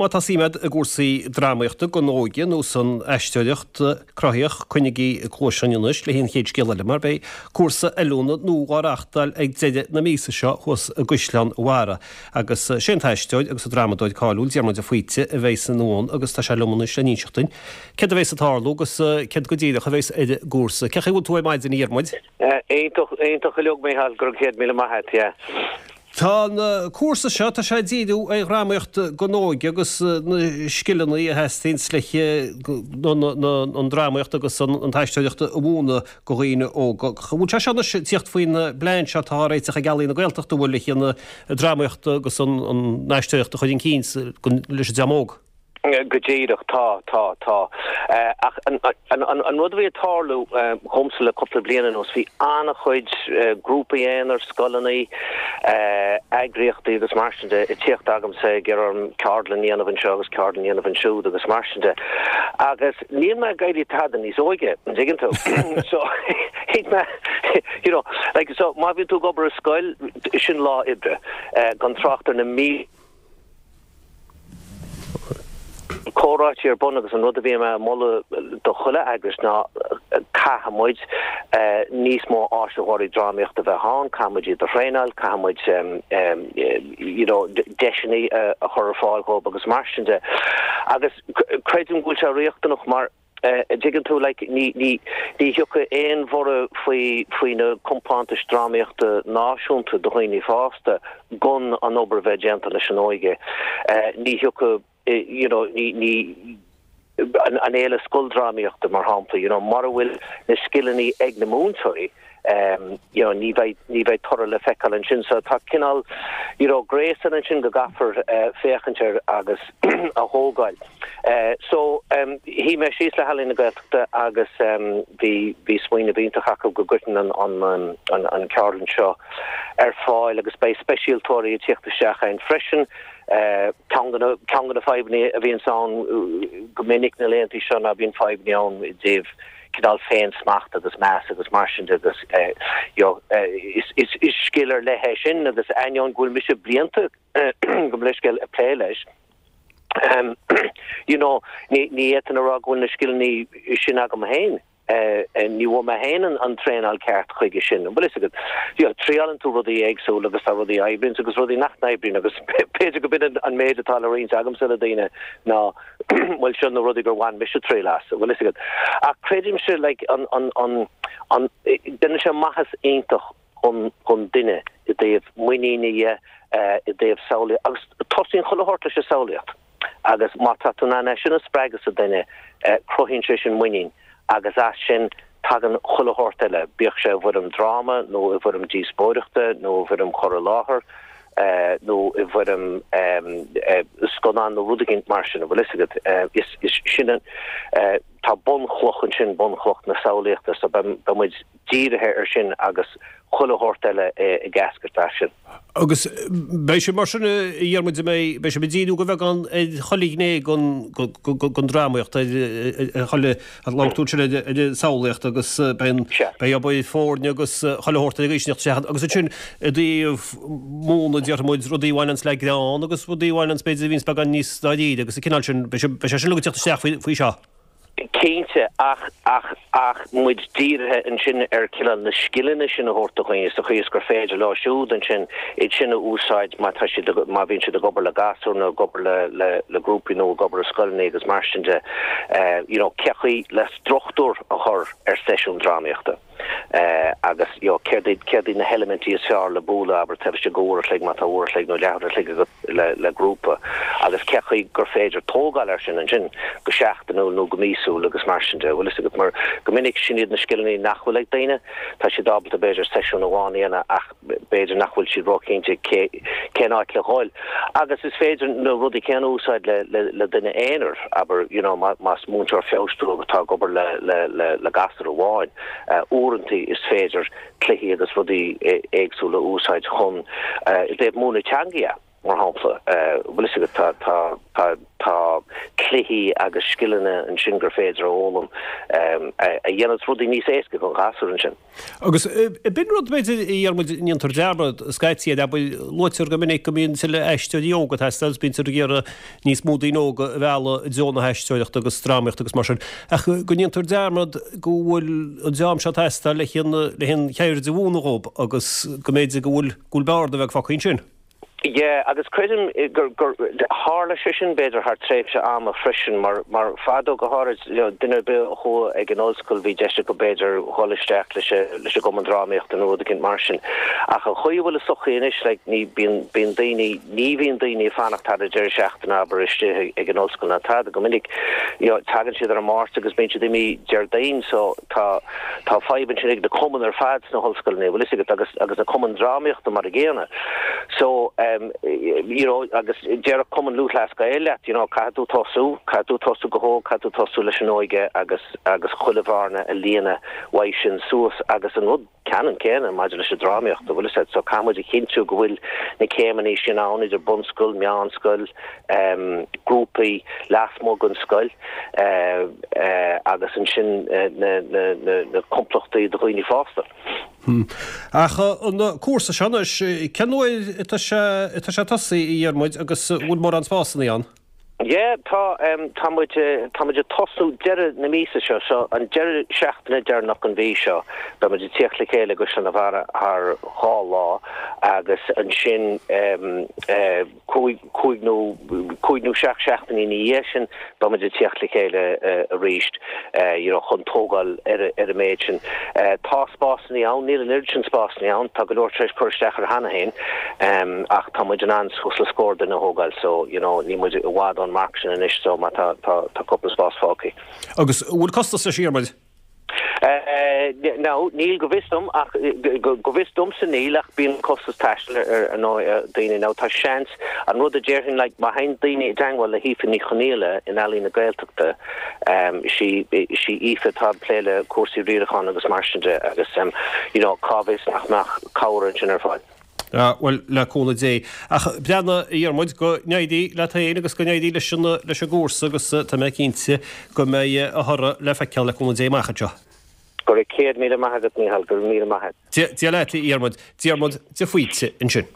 má tá suim agat i gcúrsaí drámaíochta don óige nó san aisteoireacht cruthaitheach, coinnigí cluais againn anois le haghaidh an chéad scéal eile mar beidh cúrsa oiliúna nua á reáchtáil ag deireadh na míosa seo thuas i gCaisleán Bharra agus sé an t-aisteoir agus an drámadóir cáiliúil Diarmuid de Faoite a bheidh san ann agus tá sé liom anois le n-inseacht duinn céard a bheas ag tarlú agus céard go díreach a bheas ar an gcúrsa. Cén chaoi a bhfuil tú ar maidin a Dhiarmuid? Iontach, iontach uilig Micheál, go raibh 100,000 maith a't, yeah. Tá an cúrsa seo, tá sé ag díriú ar dhrámaíocht don óige agus na scileanna a theastaíonns le an drámaíocht agus an t-aisteoireacht a mhúineadh do dhaoine óga. An bhfuil sé seo anois ag tíocht faoin bplean seo atá á réiteach ag Ealaín na Gaeltachta, an bhfuil, le an drámaíocht agus an aisteoireacht a chur chun cinn leis an dream óg? Go díreach, tá, tá, tá. Ach an rud a bhí ag tarlú dhomsa le cúpla bliain anuas, bhí an-chuid grúpaí aonair, scoileanna, eagraíochtaí agus mar sin de ag tíocht agamsa ag iarraidh orm ceardlann a dhéanamh anseo agus ceardlann a dhéanamh ansiúd agus mar sin de. Agus níl mé ag éirí tada níos óige, an dtuigeann tú? So, thuig mé, you know, like, so má bhíonn tú ag obair i scoil, sin lá oibre, gan trácht ar na mílte, comhráití ar bun agus an rud a bhí mé ag moladh do chuile eagras ná caithfidh muid níos mó áisitheoirí drámaíochta a bheith ann, caithfidh muid iad a thraenáil, caithfidh muid you know deiseanna a chur ar fáil dhóibh agus mar sin de. Agus creidim go bhfuil sé riachtanach mar a' dtuigeann tú, like, ní, ní, ní thiocfaidh aon bhorradh faoi, faoi na compántais drámaíochta náisiúnta do dhaoine fásta gan an obair a bheith déanta leis an óige. Ní thiocfaidh, you know, ní, ní, an, an fhéile scoildrámaíochta, mar shampla, you know, mura bhfuil na scileanna ag na múinteoirí, you know, ní bheidh, ní bheidh toradh le feiceáil ansin. So tá cineál, you know, gréasán ansin go gcaithfear féachaint air agus a thógáil. So, shuigh mé síos le hEalaín na Gaeltachta agus bhí, bhí smaoineamh iontach acu go gcuirfinn an, an, an, an ceardlann seo ar fáil agus beidh speisialtóirí ag tíocht isteach ann freisin. Ceann de na, ceann de na fadhbanna a bhíonns ann go minic na laethanta seo ná bíonn fadhbanna ann i dtaobh cineál féin-smacht agus meas agus mar sin de agus you know is is scil ar leith é sin agus ainneoin go bhfuil mise blianta gabh mo leithscéal ag plé leis you know ní ní fhéadfainn a rá go bhfuil na scileanna sin agam féin ní bhfuair mé féin an traenáil ceart chuige sin an bhfuil fhios agat you know triálann tú rudaí éagsúla agus tá rudaí a oibríonn agus rudaí nach n-oibríonn agus b'fhéidir go b'in an méid atá le roinnt agamsa le daoine ná bhuel seo na rudaí gur bhain mise triail as, an bhfuil fhios agat. Ach creidimse like an, an, an, an, déanann sé maitheas iontach dhon, dhon duine i dtaobh muiníne dhe, i dtaobh samhlaíocht, agus tosaíonn chuile shórt leis an samhlaíocht agus má tá tú in ann é sin a spreagadh sa duine, cruthaíonn sé sin muinín agus as sin tagann chuile shórt eile, bíodh sé i bhfoirm dráma nó i bhfoirm díospóireachta nó i bhfoirm chur i láthair nó i bhfoirm scannán nó rud éigin mar sin, an bhfuil fhios agat. Is sin an, tá bunchloch ansin, bunchloch na samhlaíochta, so beidh muid dírithe ar sin agus chuile shórt eile ag eascairt as sin. Agus beidh sé mar sin, a Dhiarmuid, an mbeidh, beidh sibh ag díriú de bheagán ar chuile ghné den drámaíocht, ar chuile, labhair tú ansin ar an samhlaíocht agus beidh an, beidh obair foirne agus chuile shórt ag éisteacht isteach agus ansin i dtaobh múineadh, déarfaidh muid, rudaí a bhaineanns le greann agus rudaí a bhaineanns b'fhéidir a bhíonns beagán níos dáiríre agus an cineál sin, beidh sé sin ag teacht isteach faoi seo. Cinnte, ach, ach, ach muid dírithe ansin ar cineál na scileanna sin a thabhairt do dhaoine sa chaoi is gur féidir leo siúd ansin iad sin a úsáid má tá siad, má bhíonn siad ag obair le gasúir nó ag obair le, le, le grúpaí nó ag obair i scoileanna agus mar sin de, you know, cé chaoi le struchtúr a chur ar seisiún drámaíochta. Agus, you know, céard iad, céard iad na heilimintí is fearr le bualadh, abair, taobh istigh d'uair a chloig, má tá uair a chloig nó leathuair a chloig agat le, le grúpa, agus cé chaoi gur féidir tógáil air sin ansin go seachtainiúil nó go míosúil agus mar sin de, bhfuil fhios agat, mar go minic sin iad na scileanna nach bhfuil ag daoine, tá siad ábalta b'fhéidir seisiún amháin a dhéanamh ach b'fhéidir nach bhfuil siad róchinnte cé, cén áit le dhul. Agus is féidir na rudaí céanna a úsáid le, le, le duine aonair, abair, you know, má, más múinteoir feabhais tú agus tá ag obair le, le, le, le gasúr amháin, uaireanta is féidir cluichí agus rudaí éagsúla a úsáid chun, i dtaobh múineadh teanga, mar shampla, bhfuil fhios agat, tá, tá, tá, tá cluichí. cluichí agus scileanna ansin gur féidir a fhoghlaim a dhéananns rudaí níos éasca don ghasúr ansin. Agus b'in rud, b'fhéidir, a Dhiarmuid, a ndéantar dearmad scaití air, abair, luaitear go minic go mbíonn tuilleadh aisteoirí óga ag teastáil agus bíonn ag iarraidh níos mó daoine óga a mhealladh i dtreo na haisteoireachta agus drámaíochta agus mar sin, ach go ndéantar dearmad go bhfuil an dream seo ag teastáil le an cheird a mhúineadh dhóibh agus go mb'fhéidir go bhfuil go bhfuil bearna bheag fágtha ansin. Yeah, agus creidim gur, gur, tharla sé sin b'fhéidir thar tréimhse ama freisin mar, mar fadó go háirid, you know, duine ar bith a chuaigh ag an ollscoil bhí deis acu b'fhéidir dhul isteach leis a, leis an gcumann drámaíochta nó rud eicínt mar sin. Ach an chaoi a bhfuil an sochaí anois, like, ní, bíonn, bíonn daoine, ní bhíonn daoine ag fanacht thar an deireadh seachtaine abair istigh ag an ollscoil ná tada go minic, you know, tagann siad ar an Máirt agus bíonn siad imithe Déardaoin so tá, Tá fadhb ansin ag na cumainn ar fad sna hollscoileanna, bhfuil fhios agat, agus agus na cumainn drámaíochta mar a gcéanna. So, um, you know, agus déarfadh Cumann Lúthchleas Gael leat, you know, caithfidh tú tosú, caithfidh tú tosú go hóg, caithfidh tú tosú leis an óige agus agus chuile bhearna a líonadh uaidh sin suas agus an rud ceannann céanna maidir leis an drámaíocht, bhfuil fhios agat. So caithfidh muid a chinntiú go bhfuil na céimeanna sin ann idir bunscoil, meánscoil, um, grúpaí lasmuigh den scoil, uh, agus ansin na complachtaí do dhaoine fásta. Ach an cúrsa seo anois, cén uair atá sé atá sé ag tosaí, a Dhiarmuid, agus an bhfuil mórán spásanna ann? Yeah, tá, tá muid, tá muid ag tosnú deireadh na míosa seo, so an deireadh seachtaine deireanach den mhí seo, beidh muid ag tíocht le chéile i gCaisleán an Bharraigh thar 2 lá agus ansin 5, 5 nó 5 nó 7 seachtainí ina dhiaidh sin, beidh muid ag tíocht le chéile arís you know chun tógáil ar ar an méid sin. Tá spásanna ann, níl an oiread sin spásanna ann, tá go leor tar éis cur isteach air cheana féin ach tá muid in ann suas le scór duine a thógáil so you know níl muid i bhfad ón marc sin anois so má tá tá tá cúpla spás fágtha. Agus an bhfuil costas leis a Dhiarmuid? No, níl go bhfios dom ach go bhfios domsa níl ach bíonn costas taistil ar ndóigh ar daoine. Now tá seans, an rud a déarfainn like má théann daoine i dteangmháil le hAoife Ní Chonaola in Ealaín na Gaeltachta, is í is í Aoife atá ag plé le cúrsaí riaracháin agus mar sin de agus you know cá bhfios nach mbeadh cabhair ansin ar fáil. Ah, bhuel, le cúnamh Dé. Ach breathnaigh, a Dhiarmuid, go n-éirí leat féin agus go n-éirí leis an, leis an gcúrsa agus tá mé cinnte go mbeidh a thoradh le feiceáil le cúnamh Dé amach anseo. Go raibh 100,000 maith agat, Mícheál, go raibh míle maith agat. Dia leat, a Dhiarmuid. Diarmuid de Faoite ansin.